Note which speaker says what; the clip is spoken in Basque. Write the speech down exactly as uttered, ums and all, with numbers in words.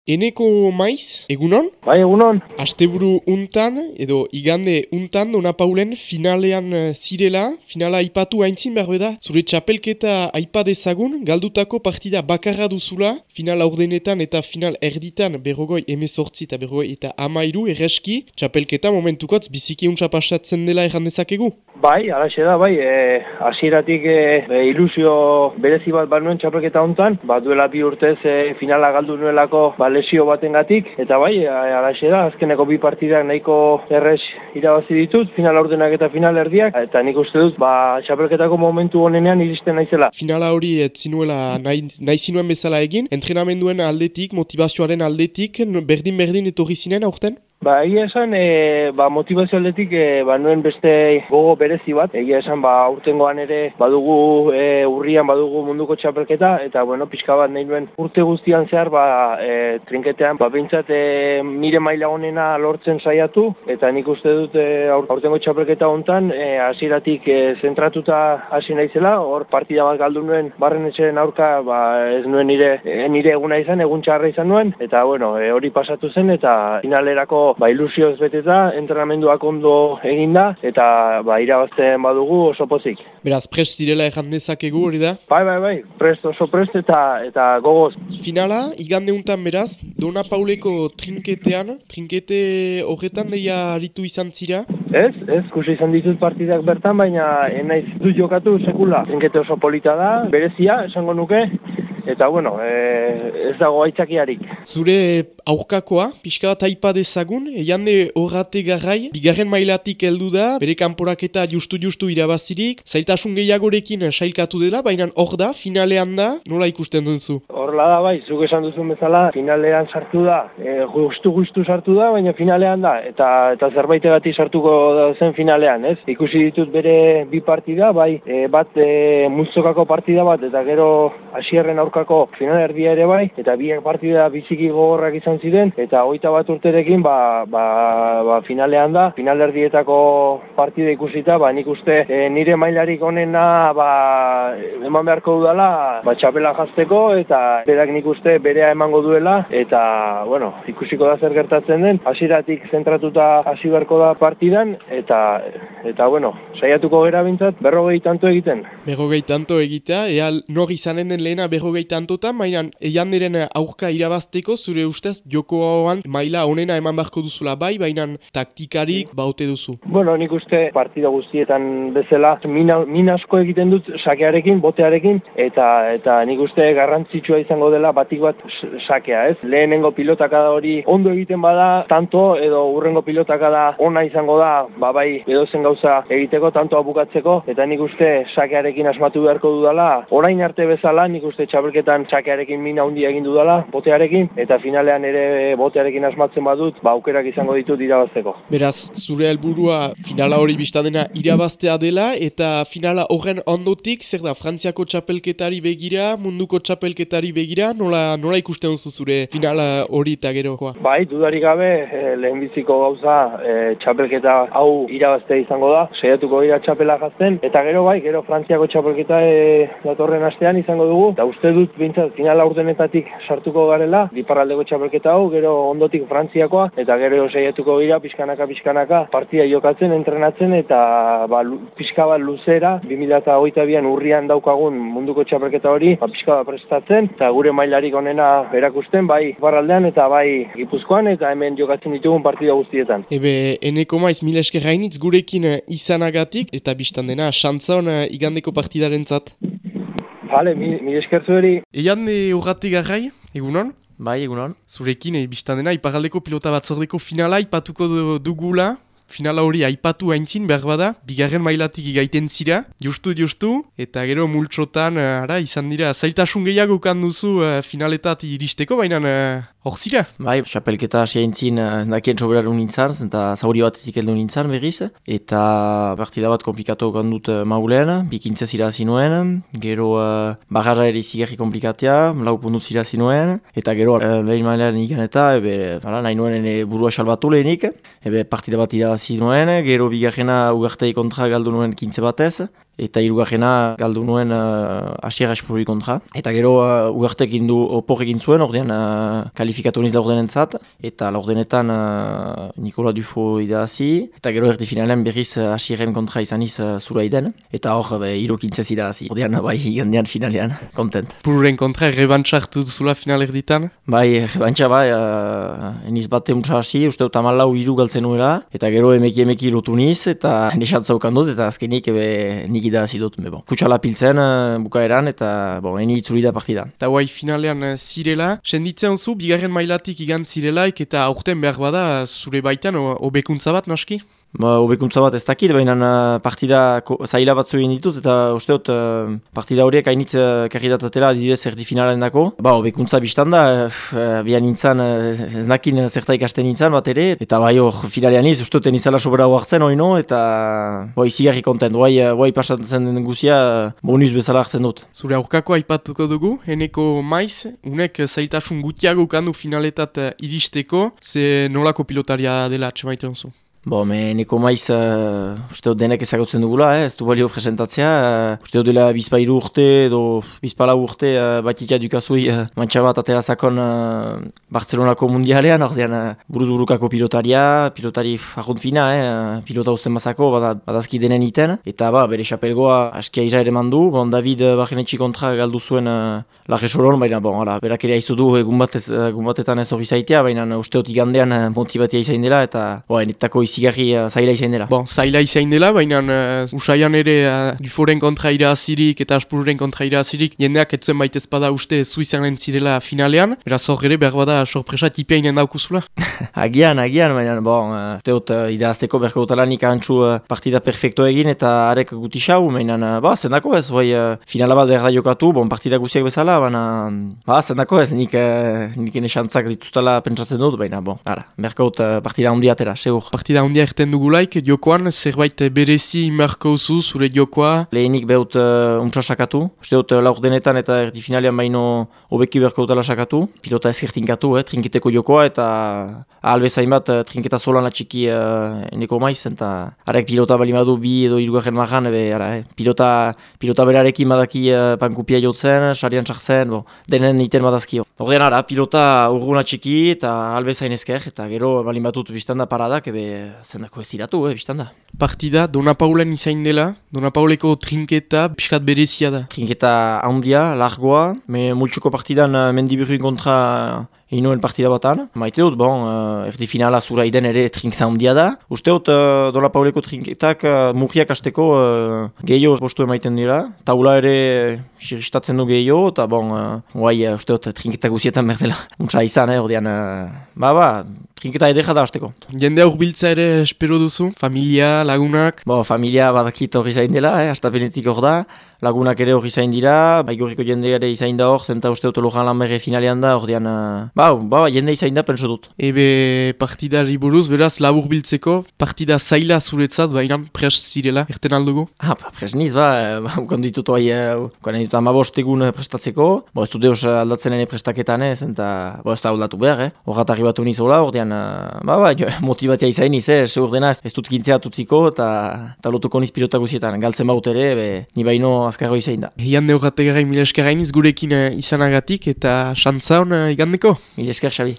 Speaker 1: Eneko maiz, egunon?
Speaker 2: Bai, egunon.
Speaker 1: Asteburu untan, edo igande untan, Dona Paulen finalean zirela, finala aipatu haintzin behar beda, zure txapelketa aipa dezagun, galdutako partida bakarra duzula, final aurdenetan eta final erditan berrogoi emezortzi eta berrogoi eta amairu, erreski, txapelketa momentukotz biziki untsa pasatzen dela erran dezakegu?
Speaker 2: Bai, alaxe da, bai, e, hasieratik e, e, ilusio berezi bat bat nuen txapelketa hontan, bat duela bi urtez e, finala galdu nuelako ba, lesio batengatik, eta bai, alaxe da, azkeneko bi partidak nahiko errez irabazi ditut, final aurdenak eta final erdiak, eta nik uste dut, ba, txapelketako momentu honenean iristen naizela.
Speaker 1: Finala hori ez zinuela nahi, nahi zinuen bezala egin, entrenamenduen aldetik, motivazioaren aldetik, berdin-berdin etorri zinen aurten?
Speaker 2: Ba, egia esan, e, ba, motivazio aldetik, e, ba, nuen beste gogo berezi bat. Egia esan, ba, urtengoan ere badugu e, urrian badugu munduko txapelketa, eta, bueno, pixka bat nahi nuen urte guztian zehar, ba, e, trinketean, ba, bintzat, e, nire maila honena lortzen saiatu, eta nik uste dut e, aurtengo txapelketa hontan, e, hasieratik e, zentratuta hasi naizela, hor partida bat galdu nuen barren etxeren aurka, ba, ez nuen nire, e, nire eguna izan, egun txarra izan nuen, eta, bueno, e, hori pasatu zen, eta finalerako ba, ilusioz beteta, entrenamenduak ondo eginda, eta ba, irabazten badugu oso pozik.
Speaker 1: Beraz, prest direla erran dezakegu hori da?
Speaker 2: Bai, bai, bai, prest, oso prest eta eta gogoz.
Speaker 1: Finala, igande untan beraz, Dona Pauleko trinketean, trinkete horretan deia aritu izan zira?
Speaker 2: Ez, ez, kusi izan ditut partidak bertan, baina enaiz dut jokatu sekula. Trinkete oso polita da, berezia, esango nuke, eta bueno, e, ez dago aitzakiarik.
Speaker 1: Zure aurkakoa, pixka bat aipa dezagun, eiande horrate garrai, bigarren mailatik heldu da, bere kanporaketa justu-justu irabazirik, zailtasun gehiagorekin sailkatu dela, baina hor da, finalean da, nola ikusten duzu?
Speaker 2: Horla da, bai, zuk esan duzun bezala, finalean sartu da, e, justu-justu sartu da, baina finalean da, eta eta zerbaitegatik sartuko zen finalean, ez? Ikusi ditut bere bi partida, bai, e, bat e, multzokako partida bat, eta gero hasierren aurkako final erdia ere bai, eta biak partida biziki gogorrak izan ziren, eta hogeita bat urterekin ba, ba, ba, finalean da, final erdietako partida ikusita, ba, nik uste e, nire mailarik onena ba, eman beharko dudala ba, txapela jazteko, eta berak nik uste berea emango duela, eta bueno, ikusiko da zer gertatzen den, hasieratik zentratuta hasi beharko da partidan, eta eta bueno, saiatuko gera bintzat, berrogei tanto egiten.
Speaker 1: Berrogei tanto egitea, ea nor izanen den lehena berrogei tantotan, baina eianderen aurka irabazteko, zure ustez, jokoan maila onena eman beharko duzula bai, baina taktikarik baute duzu.
Speaker 2: Bueno, nik uste partida guztietan bezala mina, min asko egiten dut sakearekin, botearekin, eta eta nik uste garrantzitsua izango dela batik bat sakea, ez? Lehenengo pilotakada hori ondo egiten bada, tanto edo urrengo pilotakada ona izango da, ba bai, edozen gauza egiteko, tantoa bukatzeko, eta nik uste sakearekin asmatu beharko dudala, orain arte bezala, nik uste txapelketan sakearekin mina handia egin dudala, botearekin, eta finalean ere botearekin asmatzen badut, ba aukerak izango ditut irabazteko.
Speaker 1: Beraz, zure helburua finala hori biztadena irabaztea dela, eta finala horren ondotik, zer da, Frantziako txapelketari begira, munduko txapelketari begira, nola, nola ikusten duzu zure finala hori eta gerokoa?
Speaker 2: Bai, dudarik gabe, e, lehenbiziko gauza, e, txapelketa hau irabaztea izango da, saiatuko dira txapela jazten, eta gero bai, gero Frantziako txapelketa e, datorren astean izango dugu, eta uste dut bintzat finala urdenetatik sartuko garela, diparraldeko txapelketa hau, gero ondotik Frantziakoa, eta gero saiatuko gira pixkanaka pixkanaka partida jokatzen, entrenatzen, eta ba, pixka bat luzera, bi mila hogeita bian urrian daukagun munduko txapelketa hori, ba, pixka bat prestatzen, eta gure mailarik onena erakusten, bai diparraldean eta bai Gipuzkoan, eta hemen jokatzen ditugun partida guztietan.
Speaker 1: Ebe, eneko maiz mila esker gainitz gurekin izanagatik, eta biztan dena, xantza hon igandeko partidaren zat.
Speaker 2: Bale, mila esker zueri.
Speaker 1: Eiande horrate garrai, egunon?
Speaker 3: Bai, egunon.
Speaker 1: Zurekin, e, biztan dena, iparaldeko pilota batzordeko finala ipatuko dugula. Finala hori aipatu haintzin, behar bada, bigarren mailatik igaiten zira, justu, justu, eta gero multsotan, ara, izan dira, zailtasun gehiago kan duzu uh, finaletat iristeko, baina hor uh, zira.
Speaker 3: Bai, txapelketa hasi haintzin, uh, nakien soberaren nintzan, eta zauri batetik heldu nintzan berriz, eta partida bat komplikatu gandut uh, maulen, bikintze zira zinuen, gero uh, barraja ere izigarri komplikatea, lau puntu zira zinuen, eta gero uh, lehen mailean ikan eta, ebe, ala, nahi nuen ene burua salbatu lehenik, ebe partida bat zinuen, gero bigarrena ugartei kontra galdu nuen kintze batez, eta hirugarrena galdu nuen uh, Asier Aspurri kontra. Eta gero uh, ugartekin du opor egin zuen, ordean uh, kalifikatu niz laurdenentzat, eta laurdenetan uh, Nikola Dufo idazi, eta gero erdi finalen berriz uh, Asierren kontra izaniz uh, zura iden, eta hor be, irukintzez idazi. Ordean bai igandean finalean, kontent.
Speaker 1: Pururen kontra, rebantxartu duzula final erditan?
Speaker 3: Bai, rebantxa bai, uh, eniz bat emuntza hasi, uste dut amalau iru galtzen nuela, eta gero emeki emeki lotu niz, eta nesantza ukan dut, eta azkenik ebe, nik idazi dut. Bon. Kutsala piltzen uh, bukaeran, eta bon, eni itzuli da partida.
Speaker 1: Eta guai finalean uh, zirela, senditzen zu, bigarren mailatik igant zirelaik, eta aurten behar bada zure baitan hobekuntza bat naski?
Speaker 3: Ba, hobekuntza bat ez dakit, baina uh, partida zaila batzu egin ditut, eta usteot uh, partida horiek hainitz uh, karridatatela adibidez erdi finalen dako. Ba, hobekuntza biztan da, uh, bian nintzen, uh, ez nakin zerta ikasten nintzen bat ere, eta bai hor finalean iz, usteoten izala sobera hartzen hori no, eta bai izigarri kontent, bai, bai pasatzen den guzia uh, bonus bezala hartzen dut.
Speaker 1: Zure aurkako aipatuko dugu, eneko maiz, unek zailtasun gutiago kandu finaletat uh, iristeko, ze nolako pilotaria dela atxemaiten zu?
Speaker 3: Bo, me neko maiz, uh, uste denek ezagutzen dugula, eh? Ez du balio presentatzea. Uh, uste dela bizpa iru urte, edo bizpa lau urte, uh, batitia dukazui uh, mantxa bat aterazakon uh, Bartzelonako mundialean, ordean uh, buruz-burukako pilotaria, pilotari argunt fina, eh? Pilota usten mazako, bad, badazki denen iten. Eta ba, bere xapelgoa askia ira ere mandu, bon, David uh, Barrenetxi kontra galdu zuen uh, lage soron, baina bon, ala, berak ere haizu du egun, batez, egun batetan ez hori zaitea, baina uh, usteot igandean uh, motibatia izain dela, eta bo, enetako izigarri uh, zaila izain dela. Bon,
Speaker 1: zaila izain dela, baina uh, usaian ere uh, Duforen kontra irazirik eta Aspurren kontra irazirik jendeak etzuen baita ezpada uste Suizanen zirela finalean, beraz hor ere behar bada sorpresa tipeinen daukuzula.
Speaker 3: agian, agian, baina bon, uh, teot uh, idazteko berko utalanik antxu uh, partida perfecto egin eta arek guti xau, baina uh, ba, zendako ez, bai, uh, finala bat behar da jokatu, bon, partida guziak bezala, baina ba, zendako ez, nik, uh, nik enesantzak dituztala pentsatzen dut, baina bon, ara, berko ut uh, partida hundi atera, segur.
Speaker 1: Partida hundi erten dugulaik, jokoan zerbait berezi marko zu zure jokoa?
Speaker 3: Lehenik behut uh, untsa sakatu, uste dut uh, laur denetan eta erdi finalean baino hobeki berko utala sakatu, pilota ezkertinkatu, eh, trinketeko jokoa eta albezain bat uh, trinketa solan atxiki uh, eneko maiz, eta arek pilota balimadu bi edo irugarren marran, ebe, ara, eh, pilota, pilota berarekin badaki uh, pankupia jotzen, sarian txartzen, bo, denen iten badazkio. Ordean ara, pilota urgun atxiki eta albezain ezker, eta gero balimatut biztanda paradak, ebe zendako ez iratu, eh, biztanda. Partida,
Speaker 1: Dona Paulen izain dela, Dona Pauleko trinketa piskat berezia da.
Speaker 3: Trinketa handia, largoa, me multsuko partidan uh, Mendiburrin kontra inoen partida batan. Maite dut, bon, uh, erdi finala zura iden ere trinketa handia da. Uste dut, uh, Dona Pauleko trinketak uh, murriak hasteko uh, gehiago postu emaiten dira. Taula ere siristatzen du gehiago, eta bon, uh, guai, uh, uste dut, trinketa guzietan berdela. Untsa izan, eh, ordean, uh, ba, ba, trinketa edera da hasteko.
Speaker 1: Jende urbiltza ere espero duzu? Familia, lagunak?
Speaker 3: Bo, familia badakit hori zain dela, eh, astapenetik hor da. Lagunak ere hori zain dira, baigorriko jende ere izain da hor, zenta uste dut Lojan Lanberre finalean da, ordean, uh, ba, ba, jende izain da, penso dut.
Speaker 1: Ebe partidari buruz, beraz, labur biltzeko, partida zaila zuretzat, baina pres zirela, erten aldugu?
Speaker 3: Ah, ba, pres niz, ba, ba ukon ditut hori, ukon ditut amabost egun prestatzeko, bo, ez dut eus aldatzen ene prestaketan ez, eta, bo, ez da aldatu behar, eh, horrat arribatu nizola, ordean, uh, ba, ba, jo, motibatia izain niz, eh, seur dena, ez dut gintzea tutziko, eta, eta lotuko niz pilota guzietan, galtzen baut ere, be, ni baino azkarro izain da.
Speaker 1: Hian neurrategara mila esker hainiz gurekin uh, izanagatik eta xantza hon uh, igandeko.
Speaker 3: Mila esker, Xabi.